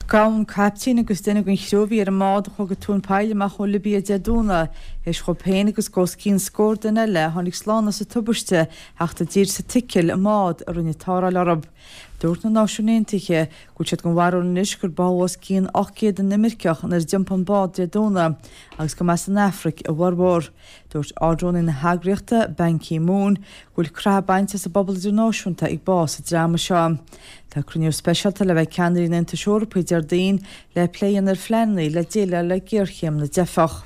Gabhadh an caiptín agus duine den chriú a bhí ar an mbád a chuaigh go tóin poill amach ón Libia Dé Domhnaigh théis dhóibh féin agus os cionn scór duine eile a tháinig slán as an tubaiste theacht i dtír sa tSicil i mbád a rinne tarrtháil orthu. Dúirt na Náisiúin Aontaithe go bhfuil siad den bharúil anois gur báthadh os cionn 800 inimirceach nuair a d'iompaigh an bád Dé Domhnaigh agus go mba as an Afraic a bhformhór. Dúirt Ard-Rúnaí na heagraíochta, Ban Ki-moon, go bhfuil croitheadh bainte as an bpobal idirnáisiúnta ag bás an dreama seo. Tá cruinniú speisialta le bheith ag ceannairí an Aontais Eorpaigh Déardaoin le plé a dhéanamh ar phleananna le déileáil le géarchéim na dteifeach.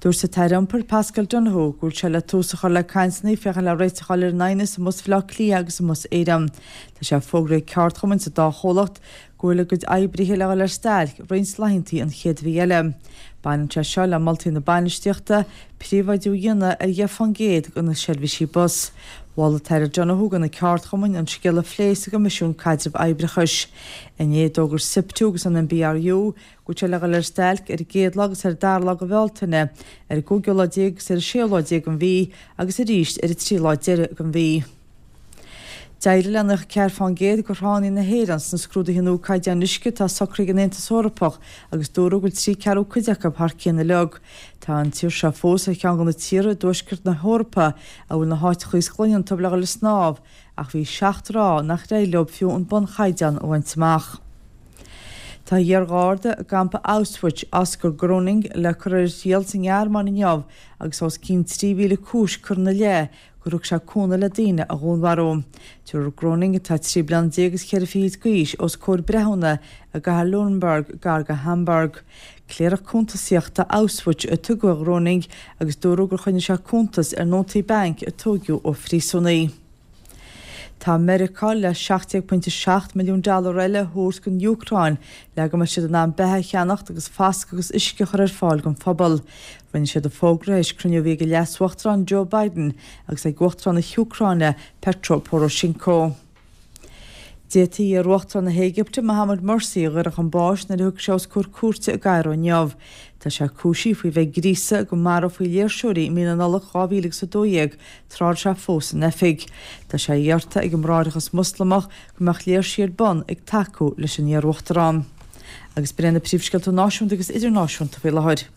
Dúirt an tAire Iompair Paschal Donohoe go bhfuil sé le tús a chur le cainteanna féachaint le réiteach a fháil ar an aighneas i mBus Bhaile Átha Cliath agus i mBus Éireann. Tá sé fógraithe ag ceardchumainn sa dá chomhlacht go bhfuil a gcuid oibrithe le dhul ar stailc roinnt laethanta an chéad mhí eile. Baineann sé seo le moltaí na bainistíochta príobháidiú a dhéanamh ar 10% de na seirbhísí bus. Mhol an tAire Donohoe do na ceardchumainn an scéal a phlé sa gCoimisiún Caidrimh Oibreachais. Inné d'fhógair SIPTU agus an NBRU go bhfuil sé le dhul ar stailc ar an gcéad lá agus ar an dara lá de Bhealtaine, ar an gcúigiú lá déag agus ar an séú lá déag den mhí agus arís ar an tríú lá deiridh den mhí. D'éirigh le 94% de thránna na hÉireann sna scrúduithe nua caighdeáin uisce atá socraithe ag an Aontas Eorpach agus dúradh go bhfuil trí ceathrú cuid acu thar cionn uilig. Tá an tír seo fós ar cheann de na tíortha i dtuaisceart na hEorpa a bhfuil na háiteacha is glaine iontu le dhul ag snámh ach bhí seacht dtrá nach éirigh leo fiú an bunchaighdeán a bhaint amach. Tá iar-gharda i gcampa Auschwitz, Oskar Gröning, le cur ar a thriail sa nGearmáin inniu agus os cionn 3,000 cúis curtha ina leith gur thug sé cúnamh le daoine a dhúnmharú. Tabharfar Gröning, atá 13 bliana agus cheithre fichid d'aois, os comhair breithiúna i gcathair Lüneburg, gar do Hamburg. Cléireach cuntasaíochta Auschwitz a tugadh ar Ghröning agus dúradh gur choinnigh sé cuntas ar nótaí bainc a tóigeadh ó phríosúnaigh. Tá Meiriceá le 17.7 milliún dollar eile a thabhairt don Úcráin le go mbeidh siad in ann beatha a cheannacht agus foscadh agus uisce a chur ar fáil don phobal. Rinne siad an fógra tar éis cruinniú a bhí ag an Leas-Uachtarán Joe Biden agus ag Uachtarán na hÚcráine Petro Poroshenko. D'fhéadfaí iar-uachtarán na hÉigipte, Mohammed Morsi, a dhaoradh chun báis nuair a thiocfaidh sé os comhair cúirte i gCairo inniu. Tá sé cúisithe faoi bheith ag gríosadh go marófaí léirseoirí i mí na Nollag 2012 tráth a raibh sé fós in oifig. Tá sé iarrta ag an mBráithreachas Moslamach go mbeadh léirsí ar bun ag tacú leis an iar-uachtarán. Agus b'in iad na príomhscéalta náisiúnta agus idirnáisiúnta faoi láthair.